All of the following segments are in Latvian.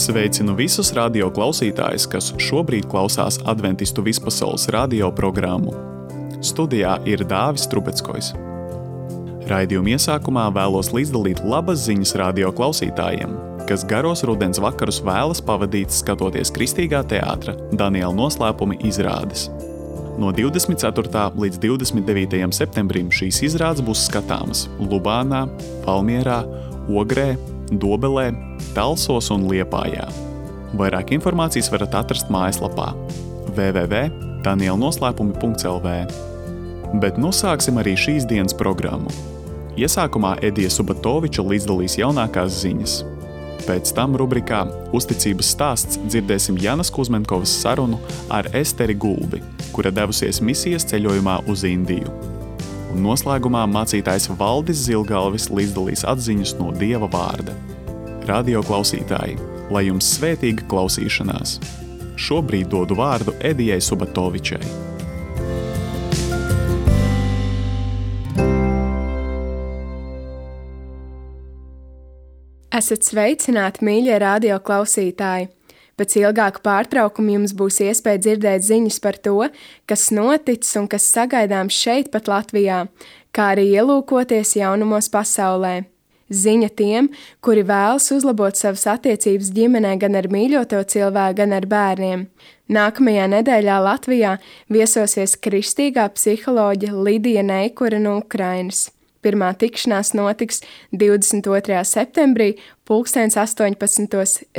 Sveicinu visus radio klausītājus, kas šobrīd klausās Adventistu vispasaules radio programmu. Studijā ir Dāvis Trubeckojs. Raidījuma iesākumā vēlos līdzdalīt labas ziņas radio klausītājiem, kas garos rudens vakarus vēlas pavadīt skatoties kristīgā teātra Daniela noslēpumi izrādes. No 24. līdz 29. septembrim šīs izrādes būs skatāmas Lubānā, Valmierā, Ogrē, Dobelē, Talsos un Liepājā. Vairāk informācijas varat atrast mājaslapā www.danielnoslēpumi.lv. Bet nu sāksim arī šīs dienas programmu. Iesākumā Edija Subatoviča līdzdalīs jaunākās ziņas. Pēc tam rubrikā Uzticības stāsts dzirdēsim Janas Kuzmenkovas sarunu ar Esteri Gulbi, kura devusies misijas ceļojumā uz Indiju. Un noslēgumā mācītājs Valdis Zilgalvis līdzdalīs atziņas no Dieva vārda. Radio klausītāji, lai jums svētīga klausīšanās. Šobrīd dodu vārdu Edijai Subatovičai. Esat sveicināti, mīļie radio klausītāji! Pēc ilgāka pārtraukuma jums būs iespēja dzirdēt ziņas par to, kas noticis un kas sagaidāms šeit pat Latvijā, kā arī ielūkoties jaunumos pasaulē. Ziņa tiem, kuri vēlas uzlabot savas attiecības ģimenē gan ar mīļoto cilvēku, gan ar bērniem. Nākamajā nedēļā Latvijā viesosies kristīgā psiholoģe Lidija Neikura no Ukrainas. Pirmā tikšanās notiks 22. septembrī 18.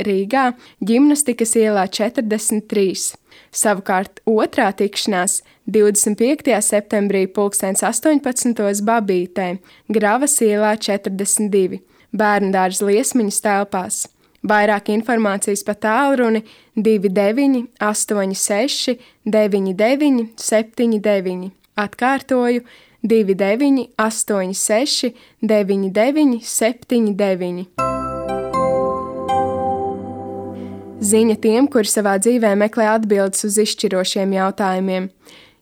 Rīgā, Ģimnastikas ielā 43. Savukārt otrā tikšanās 25. septembrī 18. Babītē, Gravas ielā 42, Bērndārza Liesmiņas telpās. Vairāk informācijas pa tālruni 29 86 99 79. Atkārtoju 29 86 99 79. Ziņa tiem, kuri savā dzīvē meklē atbildes uz izšķirošiem jautājumiem.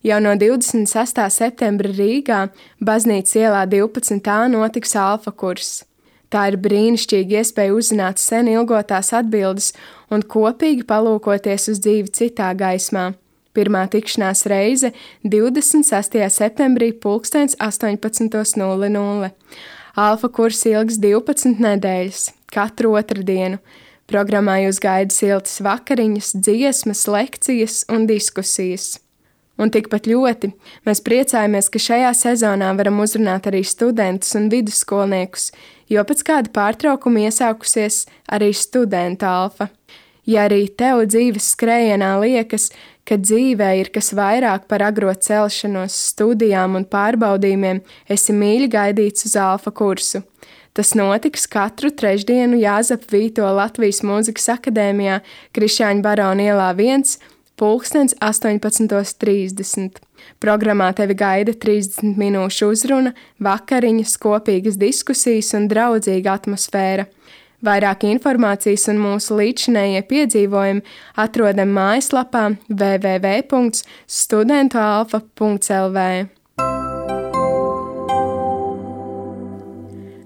Jau no 26. septembra Rīgā, Baznīcas ielā 12. notiks alfa kurs. Tā ir brīnišķīga iespēja uzzināt sen ilgotās atbildes un kopīgi palūkoties uz dzīvi citā gaismā. Pirmā tikšanās reize 26. septembrī 18:00. Alfa kurs ilgs 12 nedēļas, katru otrdienu. Programmā jūs gaida siltas vakariņas, dziesmas, lekcijas un diskusijas. Un tikpat ļoti mēs priecājamies, ka šajā sezonā varam uzrunāt arī studentus un vidusskolniekus, jo pēc kāda pārtraukuma iesākusies arī studentu alfa. Ja arī tev dzīves skrējienā liekas, ka dzīvē ir kas vairāk par agro celšanos, studijām un pārbaudījumiem, esi mīļi gaidīts uz alfa kursu. Tas notiks katru trešdienu Jāzepa Vīto Latvijas Mūzikas akadēmijā Krišjāņa Barona ielā 1, 18:30. Programmā tevi gaida 30 minūšu uzruna, vakariņas, kopīgas diskusijas un draudzīga atmosfēra. Vairāk informācijas un mūsu līdzinējie piedzīvojumi atrodam mājaslapā www.studentualfa.lv.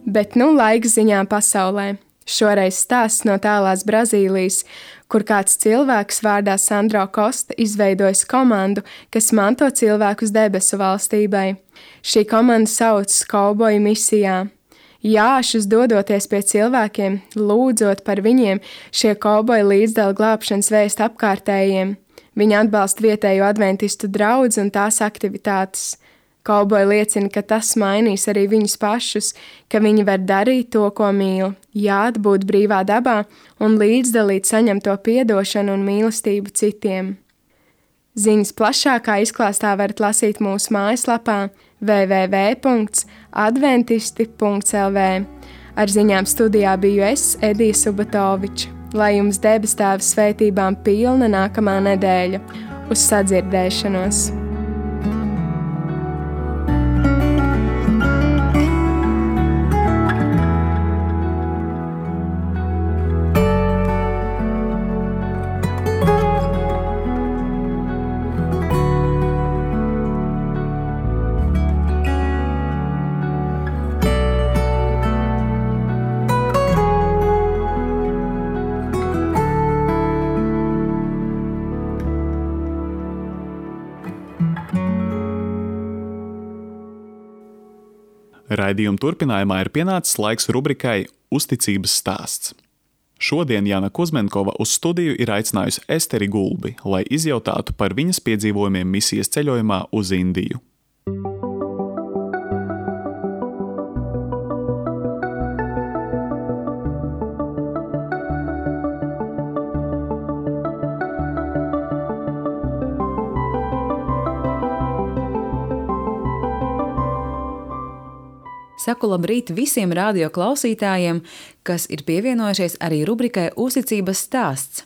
Bet nu laiks ziņām pasaulē. Šoreiz stāsts no tālās Brazīlijas, kur kāds cilvēks vārdā Sandro Kosta izveidojis komandu, kas manto cilvēkus debesu valstībai. Šī komanda saucas Kauboju misijā. Jāšus dodoties pie cilvēkiem, lūdzot par viņiem, šie kauboji līdzdala glābšanas vēstu apkārtējiem. Viņi atbalsta vietējo adventistu draudzi un tās aktivitātes. Kauboji liecina, ka tas mainīs arī viņus pašus, ka viņi var darīt to, ko mīl, būt brīvā dabā un līdzdalīt saņemto piedošanu un mīlestību citiem. Ziņas plašākā izklāstā varat lasīt mūsu mājaslapā www.adventisti.lv. Ar ziņām studijā biju es, Edija Subatoviča. Lai jums debes Tēva svētībām pilna nākamā nedēļa. Uz sadzirdēšanos! Raidījuma turpinājumā ir pienācis laiks rubrikai Uzticības stāsts. Šodien Jana Kuzmenkova uz studiju ir aicinājusi Esteri Gulbi, lai izjautātu par viņas piedzīvojumiem misijas ceļojumā uz Indiju. Saku labrīt visiem radio klausītājiem, kas ir pievienojušies arī rubrikai Uzticības stāsts.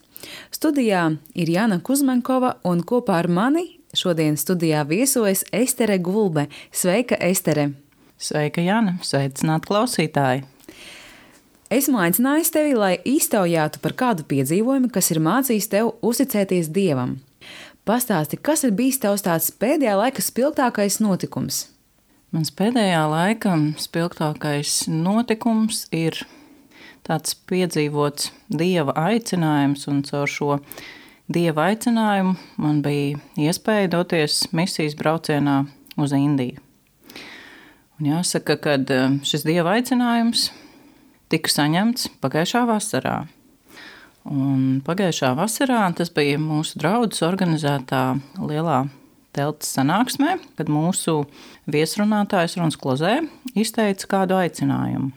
Studijā ir Jana Kuzmenkova un kopā ar mani šodien studijā viesojas Estere Gulbe. Sveika, Estere! Sveika, Jana! Sveicināt klausītāji! Esmu aicinājusi tevi, lai iztaujātu par kādu piedzīvojumu, kas ir mācījis tev uzticēties Dievam. Pastāsti, kas ir bijis tavs tāds pēdējā laika spilgtākais notikums? Mans pēdējā laika spilgtākais notikums ir tāds piedzīvots Dieva aicinājums, un caur šo Dieva aicinājumu man bija iespēja doties misijas braucienā uz Indiju. Un jāsaka, ka šis Dieva aicinājums tika saņemts pagājušā vasarā. Un pagājušā vasarā tas bija mūsu draudzes organizētā lielā telts sanāksmē, kad mūsu viesrunātājs Runs Klozē izteica kādu aicinājumu.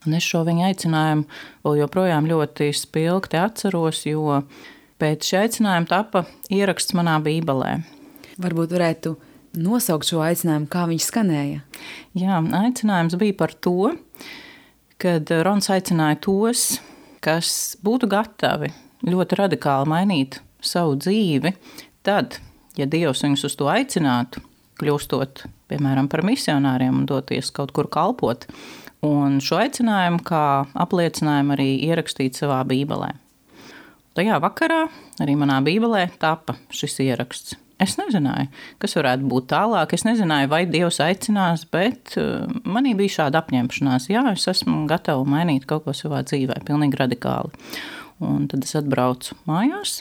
Un es šo viņa aicinājumu vēl joprojām ļoti spilgti atceros, jo pēc šī aicinājuma tapa ieraksts manā bībelē. Varbūt varētu nosaukt šo aicinājumu, kā viņš skanēja? Jā, aicinājums bija par to, kad Rons aicināja tos, kas būtu gatavi ļoti radikāli mainīt savu dzīvi, tad, ja Dievs viņus uz to aicinātu, kļūstot, piemēram, par misionāriem un doties kaut kur kalpot, un šo aicinājumu kā apliecinājumu arī ierakstīt savā bībelē. Tajā vakarā arī manā bībelē tapa šis ieraksts. Es nezināju, kas varētu būt tālāk, es nezināju, vai Dievs aicinās, bet manī bija šāda apņemšanās. Jā, es esmu gatava mainīt kaut ko savā dzīvē, pilnīgi radikāli. Un tad es atbraucu mājās,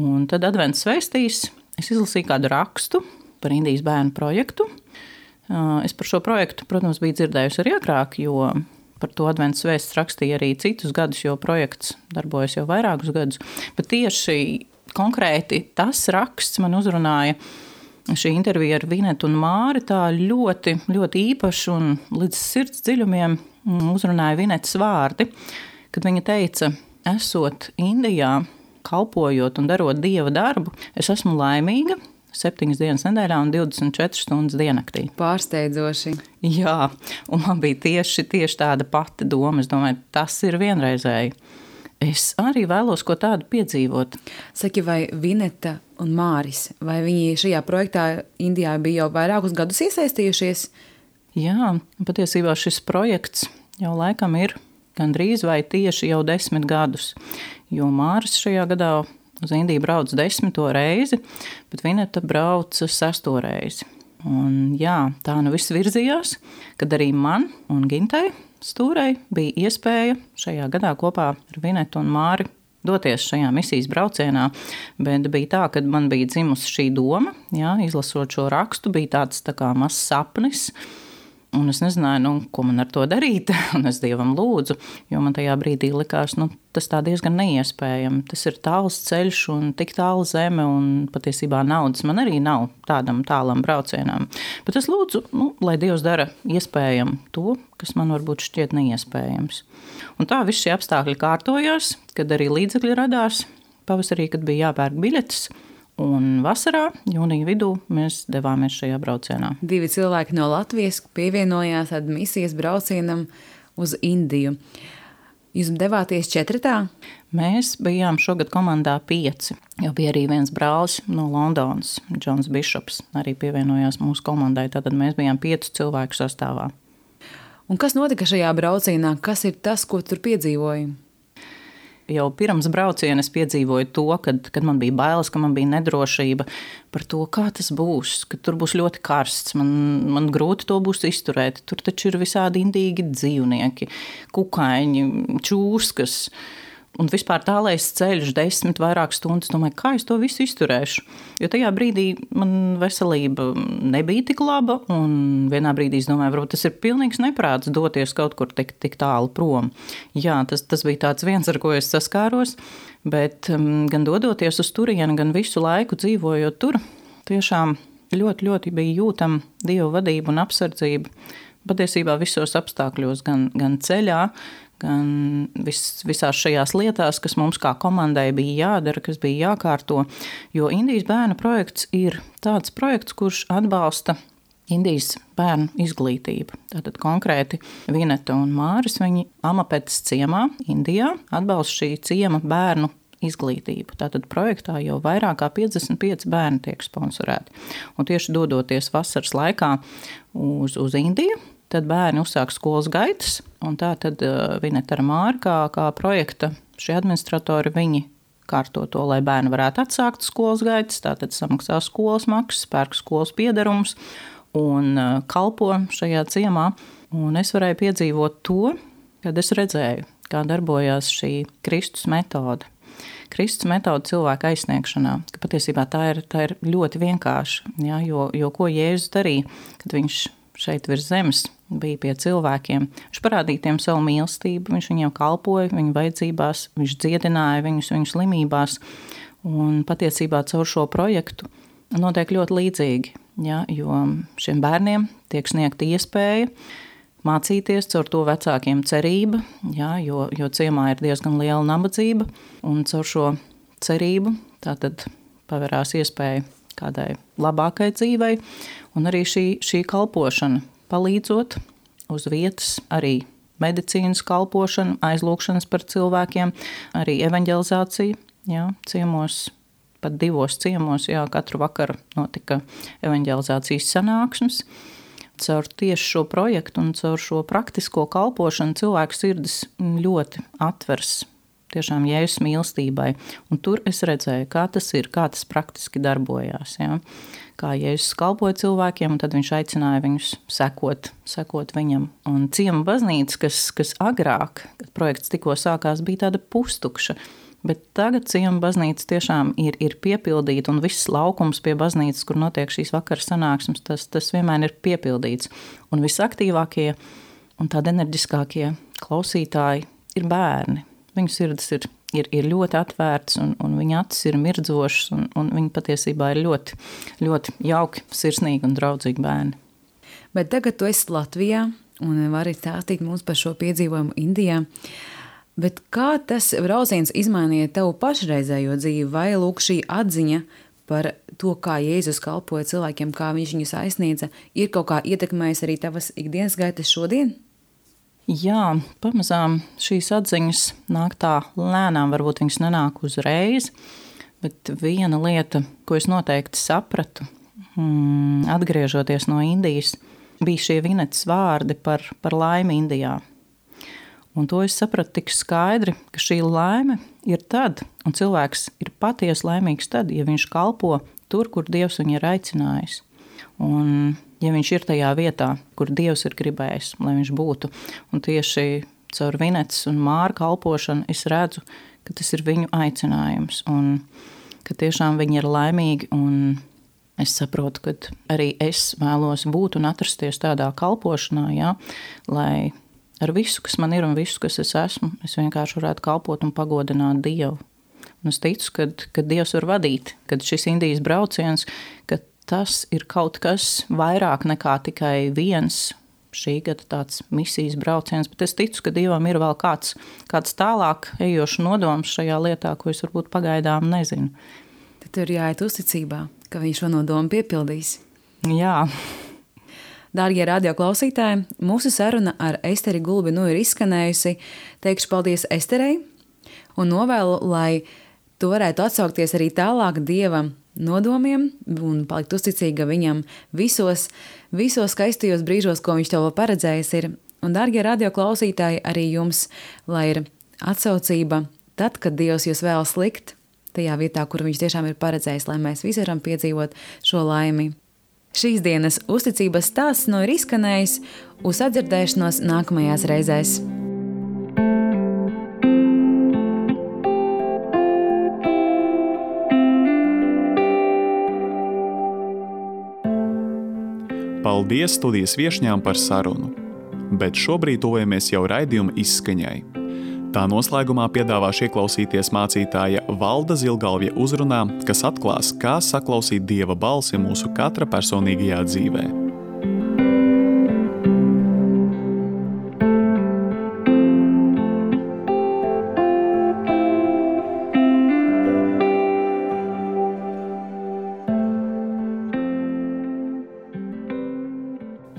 un tad advents svēstīs. Es izlasīju kādu rakstu par Indijas bērnu projektu. Es par šo projektu, protams, biju dzirdējusi arī agrāk, jo par to adventas vēsts rakstīja arī citus gadus, jo projekts darbojas jau vairākus gadus. Bet tieši konkrēti tas raksts man uzrunāja šī intervija ar Vinetu un Māri tā ļoti, ļoti īpaši un līdz sirds dziļumiem uzrunāja Vinetas vārdi, kad viņa teica, esot Indijā, kalpojot un darot Dieva darbu, es esmu laimīga 7 dienas nedēļā un 24 stundas diennaktī. Pārsteidzoši. Jā, un man bija tieši tāda pati doma. Es domāju, tas ir vienreizēji. Es arī vēlos ko tādu piedzīvot. Saki, vai Vineta un Māris, vai viņi šajā projektā Indijā bija jau vairākus gadus iesaistījušies? Jā, patiesībā šis projekts jau laikam ir gandrīz vai tieši jau 10 gadus, jo Māris šajā gadā uz Indiju brauc 10. reizi, bet Vineta brauca 6. reizi. Un jā, tā nu viss virzījās, kad arī man un Gintai Stūrei bija iespēja šajā gadā kopā ar Vinetu un Māri doties šajā misijas braucienā, bet bija tā, kad man bija dzimusi šī doma, jā, izlasot šo rakstu, bija tāds tā kā mazs sapnis, un es nezināju, ko man ar to darīt, un es Dievam lūdzu, jo man tajā brīdī likās, tas tā diezgan neiespējami. Tas ir tāls ceļš un tik tāla zeme, un patiesībā naudas man arī nav tādam tālam braucienam. Bet es lūdzu, lai Dievs dara iespējami to, kas man varbūt šķiet neiespējams. Un tā visi šie apstākļi kārtojās, kad arī līdzekļi radās, pavasarī, kad bija jāpērk biļetes. Un vasarā, jūnija vidū, mēs devāmies šajā braucienā. 2 cilvēki no Latvijas pievienojās misijas braucienam uz Indiju. Jūs devāties 4? Mēs bijām šogad komandā 5. Jo bija arī viens brālis no Londonas, Džons Bišops, arī pievienojās mūsu komandai. Tātad mēs bijām 5 cilvēku sastāvā. Un kas notika šajā braucienā? Kas ir tas, ko tur piedzīvoji? Jau pirms brauciena es piedzīvoju to, kad man bija bailes, ka man bija nedrošība par to, kā tas būs, ka tur būs ļoti karsts, man grūti to būs izturēt. Tur taču ir visādi indīgi dzīvnieki, kukaiņi, čūskas, Un vispār tālais ceļš 10 vairāk stundas, domāju, kā es to visu izturēšu. Jo tajā brīdī man veselība nebija tik laba, un vienā brīdī es domāju, varbūt tas ir pilnīgs neprāts doties kaut kur tik tālu prom. Jā, tas bija tāds viens, ar ko es saskāros, bet gan dodoties uz turieni, gan visu laiku dzīvojot tur, tiešām ļoti, ļoti bija jūtama Dieva vadība un apsardzība. Patiesībā visos apstākļos, gan ceļā, gan visās šajās lietās, kas mums kā komandai bija jādara, kas bija jākārto. Jo Indijas bērnu projekts ir tāds projekts, kurš atbalsta Indijas bērnu izglītību. Tātad konkrēti Vineta un Māris, viņi Amapetas ciemā, Indijā, atbalsta šī ciema bērnu izglītību. Tātad projektā jau vairāk kā 55 bērni tiek sponsorēti. Un tieši dodoties vasaras laikā uz Indiju, tad bērni uzsāk skolas gaitas, un tā tad Vineta ar Māri kā projekta šie administratori, viņi kārto to, lai bērni varētu atsākt skolas gaitas, tātad samaksā skolas maksas, pērk skolas piedarumus un kalpo šajā ciemā. Un es varēju piedzīvot to, kad es redzēju, kā darbojās šī Kristus metode. Kristus metode cilvēka aizsniegšanā, ka patiesībā tā ir ļoti vienkārša, ja, jo ko Jēzus darīja, kad viņš šeit virs zemes bija pie cilvēkiem. Viņš parādīja tiem savu mīlestību, viņš viņiem kalpoja, viņu vajadzībās, viņš dziedināja viņu slimībās. Un patiesībā caur šo projektu notiek ļoti līdzīgi, ja, jo šiem bērniem tiek sniegta iespēja mācīties, caur to vecākiem cerība, ja, jo ciemā ir diezgan liela nabadzība, un caur šo cerību tātad paverās iespēja kādai labākai dzīvei, un arī šī kalpošana palīdzot uz vietas, arī medicīnas kalpošana, aizlūkšanas par cilvēkiem, arī evaņģelizācija, jā, ciemos, pat 2 ciemos, jā, katru vakaru notika evaņģelizācijas sanāksmes. Caur tieši šo projektu un caur šo praktisko kalpošanu cilvēku sirdis ļoti atvers tiešām Jēzus mīlestībai. Un tur es redzēju, kā tas ir, kā tas praktiski darbojās. Ja? Kā Jēzus kalpoja cilvēkiem, un tad viņš aicināja viņus sekot viņam. Un ciema baznīca, kas agrāk, kad projekts tikko sākās, bija tāda pustukša. Bet tagad ciema baznīca tiešām ir piepildīta, un viss laukums pie baznīcas, kur notiek šīs vakara sanāksmes, tas vienmēr ir piepildīts. Un visaktīvākie un tādi enerģiskākie klausītāji ir bērni. Viņu sirdis ir ļoti atvērts, un viņa acis ir mirdzošas, un viņi patiesībā ir ļoti, ļoti jauki, sirsnīgi un draudzīgi bērni. Bet tagad tu esi Latvijā un vari stāstīt mums par šo piedzīvojumu Indijā. Bet kā tas brauciens izmainīja tavu pašreizējo dzīvi, vai lūk šī atziņa par to, kā Jēzus kalpoja cilvēkiem, kā viņš viņus aizsniedza, ir kaut kā ietekmējis arī tavas ikdienas gaitas šodien? Jā, pamazām šīs atziņas nāk tā lēnām, varbūt viņas nenāk uzreiz, bet viena lieta, ko es noteikti sapratu, atgriežoties no Indijas, bija šie Vinetas vārdi par laimi Indijā. Un to es sapratu tik skaidri, ka šī laime ir tad, un cilvēks ir patiesi laimīgs tad, ja viņš kalpo tur, kur Dievs viņu ir aicinājis. Un ja viņš ir tajā vietā, kur Dievs ir gribējis, lai viņš būtu. Un tieši caur Vinetas un Māra kalpošanu es redzu, ka tas ir viņu aicinājums. Un ka tiešām viņi ir laimīgi. Un es saprotu, ka arī es vēlos būt un atrasties tādā kalpošanā, ja, lai ar visu, kas man ir un visu, kas es esmu, es vienkārši varētu kalpot un pagodināt Dievu. Un es ticu, ka Dievs var vadīt, kad šis Indijas brauciens, ka tas ir kaut kas vairāk nekā tikai viens šī gada tāds misijas brauciens, bet es ticu, ka Dievam ir vēl kāds tālāk ejošs nodoms šajā lietā, ko es varbūt pagaidām nezinu. Tad tur jāiet uzticībā, ka viņš šo nodomu piepildīs. Jā. Dārgie radioklausītāji, mūsu saruna ar Esteri Gulbinu ir izskanējusi. Teikšu paldies Esterei un novēlu, lai tu varētu atsaukties arī tālāk Dievam nodomiem un palikt uzticīga viņam visos skaistajos brīžos, ko viņš tev paredzējis ir. Un, dārgie radioklausītāji, arī jums, lai ir atsaucība tad, kad Dievs jūs vēlas likt tajā vietā, kur viņš tiešām ir paredzējis, lai mēs visi varam piedzīvot šo laimi. Šīs dienas uzticības stāsts ir izskanējis, uz sadzirdēšanos nākamajās reizēs. Paldies studijas viešņām par sarunu, bet šobrīd tuvojamies jau raidījuma izskaņai. Tā noslēgumā piedāvāšu ieklausīties mācītāja Valda Zilgalvja uzrunā, kas atklās, kā saklausīt Dieva balsi mūsu katra personīgajā dzīvē.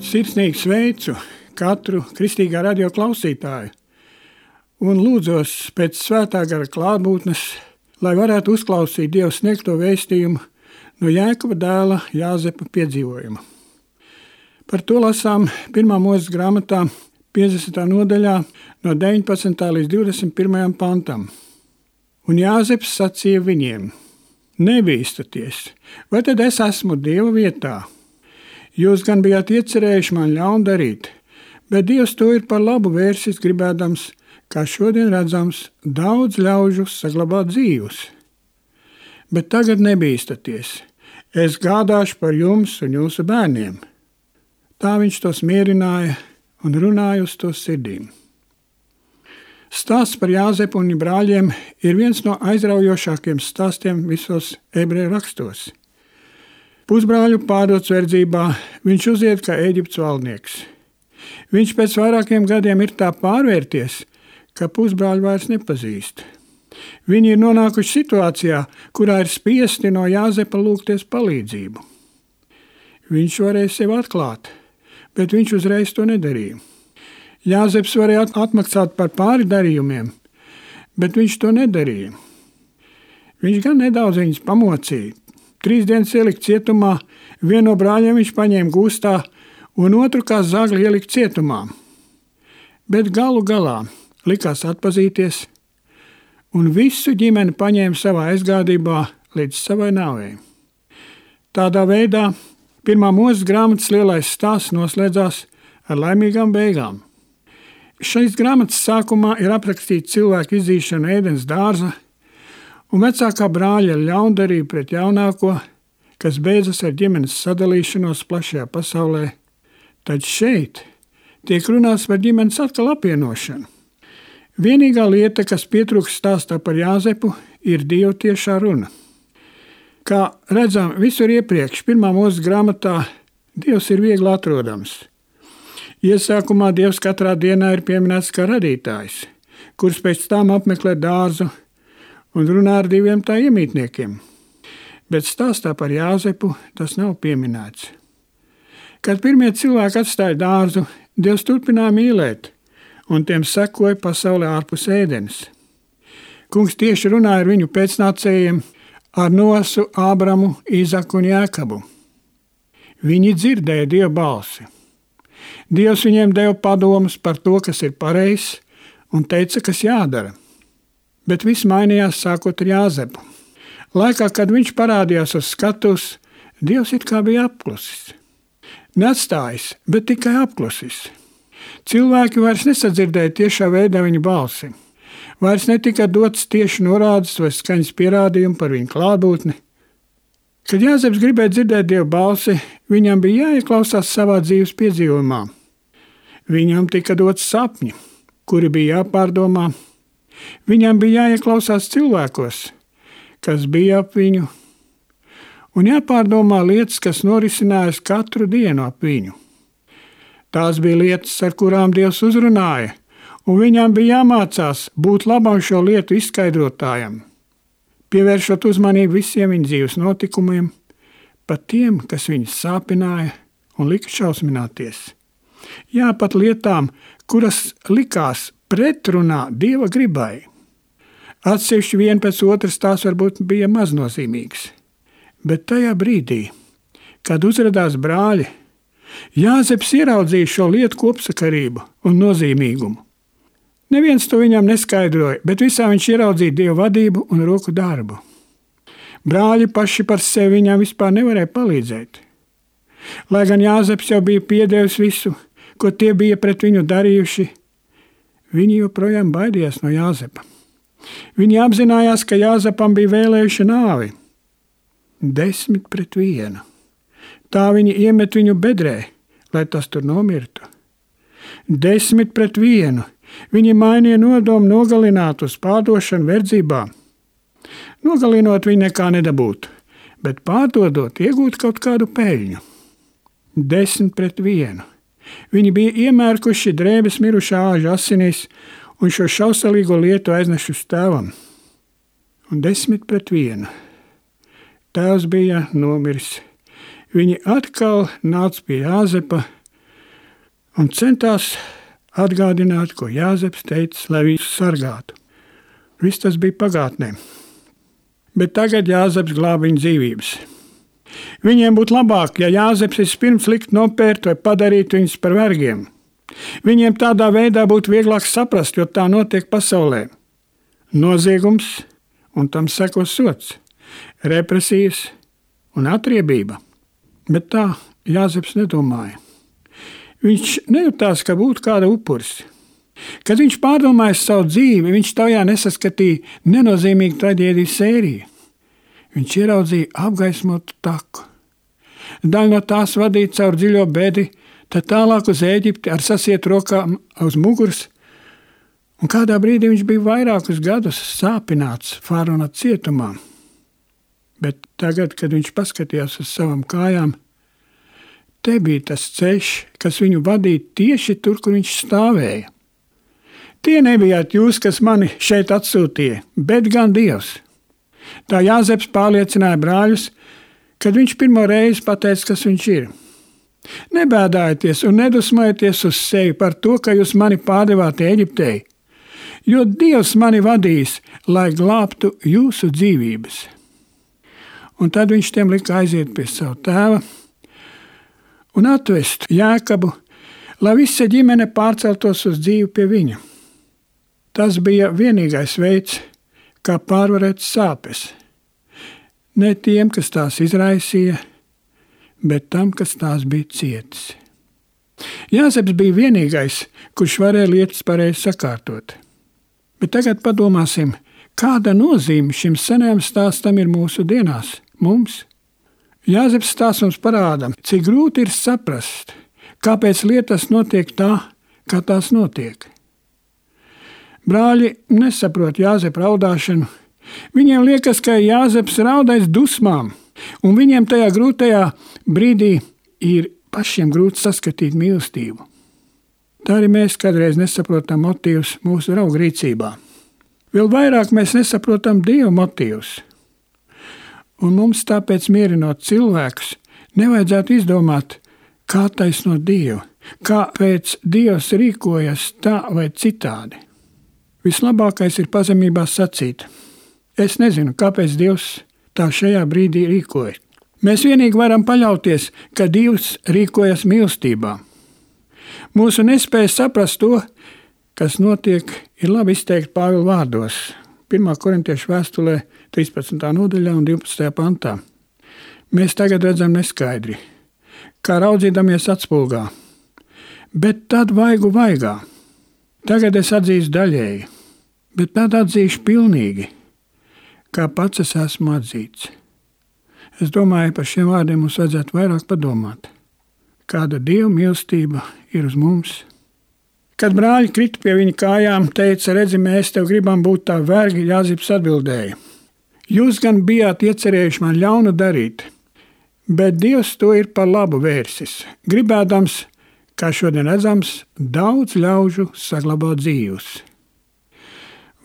Sirsnīgi sveicu katru kristīgā radio klausītāju un lūdzos pēc svētā gara klātbūtnes, lai varētu uzklausīt Dieva sniegto vēstījumu no Jēkaba dēla Jāzepa piedzīvojuma. Par to lasām 1. Mūzes grāmatā 50. nodaļā no 19. līdz 21. pantam. Un Jāzeps sacīja viņiem: Nebīstaties, vai tad es esmu Dieva vietā? Jūs gan bijāt iecerējuši man ļaunu darīt, bet Dievs to ir par labu vērsis gribēdams, kā šodien redzams, daudz ļaužu saglabāt dzīvus. Bet tagad nebīstaties, es gādāšu par jums un jūsu bērniem. Tā viņš tos mierināja un runāja uz to sirdīm. Stāsts par Jāzepu un viņa brāļiem ir viens no aizraujošākiem stāstiem visos ebreju rakstos. Pusbrāļu pārdots verdzībā, viņš uziet kā Ēģiptes valdnieks. Viņš pēc vairākiem gadiem ir tā pārvērties, ka pusbrāļu vairs nepazīst. Viņi ir nonākuši situācijā, kurā ir spiesti no Jāzepa lūgties palīdzību. Viņš varēja sevi atklāt, bet viņš uzreiz to nedarīja. Jāzeps varēja atmaksāt par pāri darījumiem, bet viņš to nedarīja. Viņš gan nedaudz viņus pamocīja. 3 dienas ielikt cietumā, vienu no brāļiem viņš paņēma gūstā un otru kā zagli ielikt cietumā. Bet galu galā likās atpazīties un visu ģimeni paņēma savā aizgādībā līdz savai nāvei. Tādā veidā 1. Mūzes grāmatas lielais stāsts noslēdzās ar laimīgām beigām. Šīs grāmatas sākumā ir aprakstīta cilvēka izīšana Ēdens dārza un vecākā brāļa ļaundarība pret jaunāko, kas beidzas ar ģimenes sadalīšanos plašajā pasaulē. Tad šeit tiek runāts par ģimenes atkal apvienošanu. Vienīgā lieta, kas pietrūkst stāstā par Jāzepu, ir Dieva tiešā runa. Kā redzam visur iepriekš, 1. Mūzes grāmatā Dievs ir viegli atrodams. Iesākumā Dievs katrā dienā ir pieminēts kā radītājs, kurš pēc tam apmeklē dārzu un runā ar 2 tā iemītniekiem. Bet stāstā par Jāzepu tas nav pieminēts. Kad pirmie cilvēki atstāja dārzu, Dievs turpināja mīlēt, un tiem sekoja pasaulē ārpus Ēdenes. Kungs tieši runāja ar viņu pēcnācējiem, ar Nosu, Ābramu, Īzaku un Jēkabu. Viņi dzirdēja Dieva balsi. Dievs viņiem deva padomus par to, kas ir pareizs, un teica, kas jādara. Bet viss mainījās sākot ar Jāzepu. Laikā, kad viņš parādījās uz skatuves, Dievs it kā bija apklusis. Neatstājis, bet tikai apklusis. Cilvēki vairs nesadzirdēja tiešā veidā viņa balsi. Vairs netika dots tieši norādes vai skaņas pierādījumi par viņa klātbūtni. Kad Jāzeps gribēja dzirdēt Dieva balsi, viņam bija jāieklausās savā dzīves piedzīvojumā. Viņam tika dots sapņi, kuri bija jāpārdomā. Viņam bija jāieklausās cilvēkos, kas bija ap viņu, un jāpārdomā lietas, kas norisinājās katru dienu ap viņu. Tās bija lietas, ar kurām Dievs uzrunāja, un viņam bija jāmācās būt labam šo lietu izskaidrotājam, pievēršot uzmanību visiem viņa dzīves notikumiem, pat tiem, kas viņus sāpināja un lika šausmināties. Jā, pat lietām, kuras likās pretrunā Dieva gribai. Atsevišķi vien pēc otras tās varbūt bija maznozīmīgas. Bet tajā brīdī, kad uzradās brāļi, Jāzeps ieraudzīja šo lietu kopsakarību un nozīmīgumu. Neviens to viņam neskaidroja, bet visā viņš ieraudzīja Dieva vadību un roku darbu. Brāļi paši par sevi viņam vispār nevarēja palīdzēt. Lai gan Jāzeps jau bija piedevis visu, ko tie bija pret viņu darījuši, viņi joprojām baidījās no Jāzepa. Viņi apzinājās, ka Jāzepam bija vēlējuši nāvi. 10-1. Tā viņi iemet viņu bedrē lai tas tur nomirtu. 10-1. Viņi mainīja nodomu nogalināt uz pārdošanu verdzībā. Nogalinot viņi nekā nedabūtu, bet pārdodot iegūt kaut kādu peļņu. 10-1. Viņi bija iemērkuši drēbes mirušā āža asinīs un šo šausalīgo lietu aiznešu uz tēvam. Un 10-1. Tēvs bija nomiris. Viņi atkal nāca pie Jāzepa un centās atgādināt, ko Jāzeps teica, lai viņus sargātu. Viss tas bija pagātnē. Bet tagad Jāzeps glāba viņu dzīvības. Viņiem būtu labāk, ja Jāzeps vispirms likt nopērt vai padarīt viņus par vergiem. Viņiem tādā veidā būtu vieglāk saprast, jo tā notiek pasaulē. Noziegums un tam sekos sods, represijas un atriebība. Bet tā Jāzeps nedomāja. Viņš nejūtās, ka būtu kāda upuris. Kad viņš pārdomāja savu dzīvi, viņš tajā nesaskatīja nenozīmīgu traģēdiju sēriju. Viņš ieraudzīja apgaismotu taku. Daļa no tās vadīja caur dziļo bedi, tad tālāk uz Ēģipti ar sasietu rokām uz muguras, un kādā brīdī viņš bija vairākus gadus sāpināts Fārona cietumā. Bet tagad, kad viņš paskatījās uz savām kājām, te bija tas ceļš, kas viņu vadīja tieši tur, kur viņš stāvēja. Tie nebijāt jūs, kas mani šeit atsūtīja, bet gan Dievs. Tā Jāzeps pārliecināja brāļus, kad viņš pirmo reizi pateica, kas viņš ir. Nebēdājieties un nedusmojieties uz sevi par to, ka jūs mani pārdevāt Ēģiptei, jo Dievs mani vadīs, lai glābtu jūsu dzīvības. Un tad viņš tiem lika aiziet pie savu tēva un atvest Jēkabu, lai visa ģimene pārceltos uz dzīvi pie viņa. Tas bija vienīgais veids, kā pārvarēt sāpes. Ne tiem, kas tās izraisīja, bet tam, kas tās bija cietis. Jāzeps bija vienīgais, kurš varēja lietas pareizi sakārtot. Bet tagad padomāsim, kāda nozīme šim senajam stāstam ir mūsu dienās, mums. Jāzeps stāsts mums parāda, cik grūti ir saprast, kāpēc lietas notiek tā, kā tās notiek. Brāļi nesaprot Jāzepa raudāšanu. Viņiem liekas, ka Jāzeps raudais dusmām, un viņiem tajā grūtajā brīdī ir pašiem grūti saskatīt mīlestību. Tā arī mēs kādreiz nesaprotam motīvus mūsu draugu rīcībā. Vēl vairāk mēs nesaprotam Dieva motīvus. Un mums tāpēc mierinot cilvēkus, nevajadzētu izdomāt, kā taisnot Dievu, kāpēc Dievs rīkojas tā vai citādi. Vislabākais ir pazemībā sacīt: es nezinu, kāpēc Dievs tā šajā brīdī rīkoja. Mēs vienīgi varam paļauties, ka Dievs rīkojas mīlestībā. Mūsu nespēja saprast to, kas notiek, ir labi izteikt Pāvila vārdos. 1. Korintiešu vēstulē 13. nodaļā un 12. pantā. Mēs tagad redzam neskaidri, kā raudzīdamies atspulgā, bet tad vaigu vaigā. Tagad es atzīstu daļēji, bet tad atzīšu pilnīgi, kā pats es esmu atzīts. Es domāju, par šiem vārdiem mums vajadzētu vairāk padomāt. Kāda Dieva mīlestība ir uz mums? Kad brāļi krita pie viņa kājām, teica: redzi, mēs tev gribam būt tā vergi, Jāzeps atbildēja: jūs gan bijāt iecerējuši man ļaunu darīt, bet Dievs to ir par labu vērsis, gribēdams, kā šodien redzams, daudz ļaužu saglabāt dzīvus.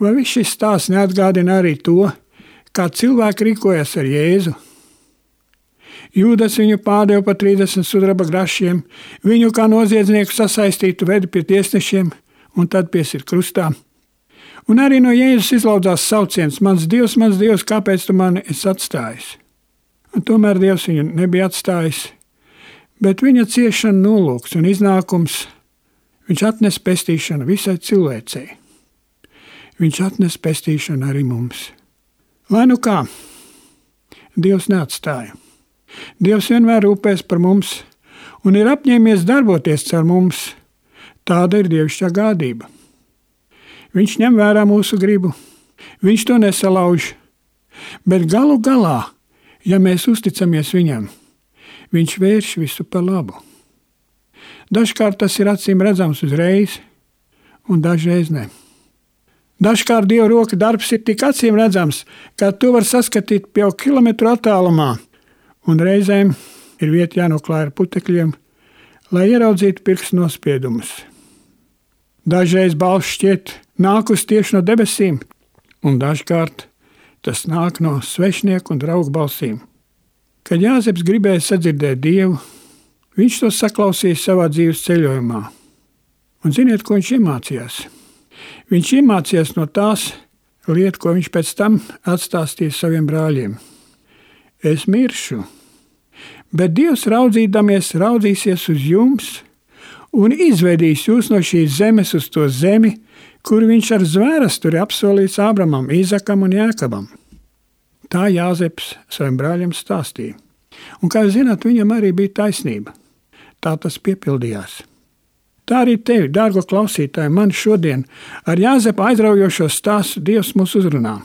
Vai viss šis stāsts neatgādina arī to, kā cilvēki rīkojas ar Jēzu? Jūdas viņu pārdeva par 30 sudraba grašiem, viņu kā noziedznieku sasaistītu vedi pie tiesnešiem un tad piesir krustā. Un arī no Jēzus izlaudzās sauciens: mans Dievs, kāpēc tu mani esi atstājis? Un tomēr Dievs viņu nebija atstājis, bet viņa ciešana nolūks un iznākums, viņš atnes pestīšanu visai cilvēcei. Viņš atnes pestīšanu arī mums. Lai nu kā, Dievs neatstāja. Dievs vienmēr rūpēs par mums un ir apņēmies darboties caur mums. Tāda ir dievišķā gādība. Viņš ņem vērā mūsu gribu, viņš to nesalauž, bet galu galā, ja mēs uzticamies viņam, viņš vērš visu par labu. Dažkārt tas ir acīm redzams uzreiz, un dažreiz ne. Dažkārt Dieva roka darbs ir tik acīm redzams, ka to var saskatīt jau kilometru attālumā, un reizēm ir vieta jānoklāj ar putekļiem, lai ieraudzītu pirkstu nospiedumus. Dažreiz balss šķiet nākus tieši no debesīm, un dažkārt tas nāk no svešnieku un draugu balsīm. Kad Jāzeps gribēja sadzirdēt Dievu, viņš to saklausīja savā dzīves ceļojumā. Un ziniet, ko viņš iemācījās? Viņš iemācījās no tās lietas, ko viņš pēc tam atstāstīja saviem brāļiem. Es miršu, bet Dievs raudzīsies uz jums un izvedīs jūs no šīs zemes uz to zemi, kur viņš ar zvērasturi apsolījis Ābramam, Īzakam un Jākabam. Tā Jāzeps saviem brāļiem stāstīja. Un, kā jūs zināt, viņam arī bija taisnība. Tā tas piepildījās. Tā arī tevi, dārgo klausītāji, man šodien ar Jāzepa aizraujošo stāstu Dievs mūs uzrunā.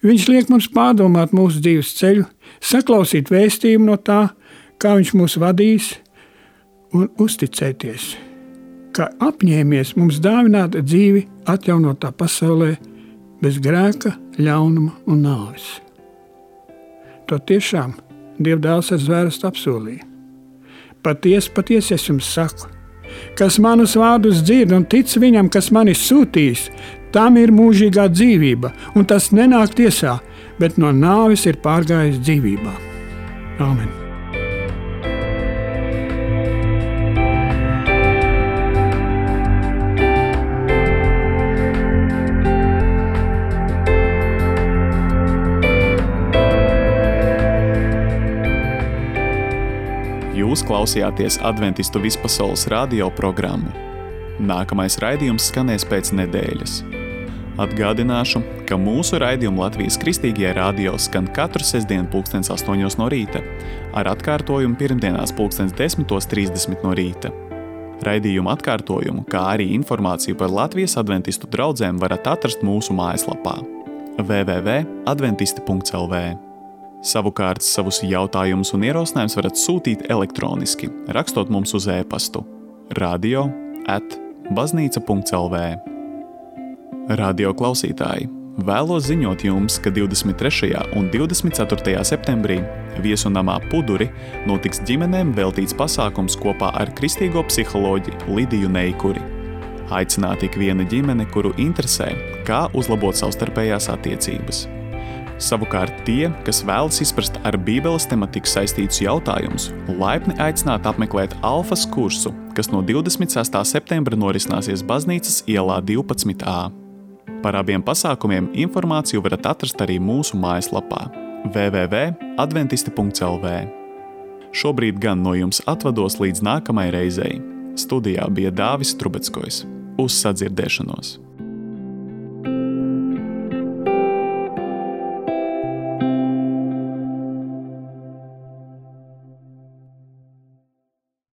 Viņš liek mums pārdomāt mūsu dzīves ceļu, saklausīt vēstījumu no tā, kā viņš mūs vadīs, un uzticēties, ka apņēmies mums dāvināt dzīvi atjaunotā pasaulē bez grēka, ļaunuma un nāves. To tiešām Dieva dēls ar zvērstu apsolīja. Patiesi es jums saku, kas manus vārdus dzird un tic viņam, kas mani sūtīs, tam ir mūžīgā dzīvība, un tas nenāk tiesā, bet no nāves ir pārgājis dzīvībā. Āmen. Jūs klausījāties Adventistu vispasaules radio programmu. Nākamais raidījums skanēs pēc nedēļas. Atgādināšu, ka mūsu raidījumu Latvijas Kristīgajā radio skan katru sestdienu 8:00 no rīta, ar atkārtojumu pirmdienās 10:30 no rīta. Raidījumu atkārtojumu, kā arī informāciju par Latvijas adventistu draudzēm varat atrast mūsu mājaslapā www.adventisti.lv. Savukārt savus jautājumus un ierosinājumus varat sūtīt elektroniski, rakstot mums uz e-pastu radio@baznīca.lv. Radio klausītāji, vēlos ziņot jums, ka 23. un 24. septembrī Viesunamā Puduri notiks ģimenēm veltīts pasākums kopā ar kristīgo psiholoģi Lidiju Neikuri. Aicināti ik viena ģimene, kuru interesē, kā uzlabot savstarpējās attiecības. Savukārt tie, kas vēlas izprast ar Bībeles tematiku saistītus jautājumus, laipni aicināti apmeklēt alfas kursu, kas no 26. septembra norisināsies Baznīcas ielā 12A. Par abiem pasākumiem informāciju varat atrast arī mūsu mājaslapā www.adventisti.lv. Šobrīd gan no jums atvados līdz nākamai reizei. Studijā bija Dāvis Trubeckojs. Uz sadzirdēšanos!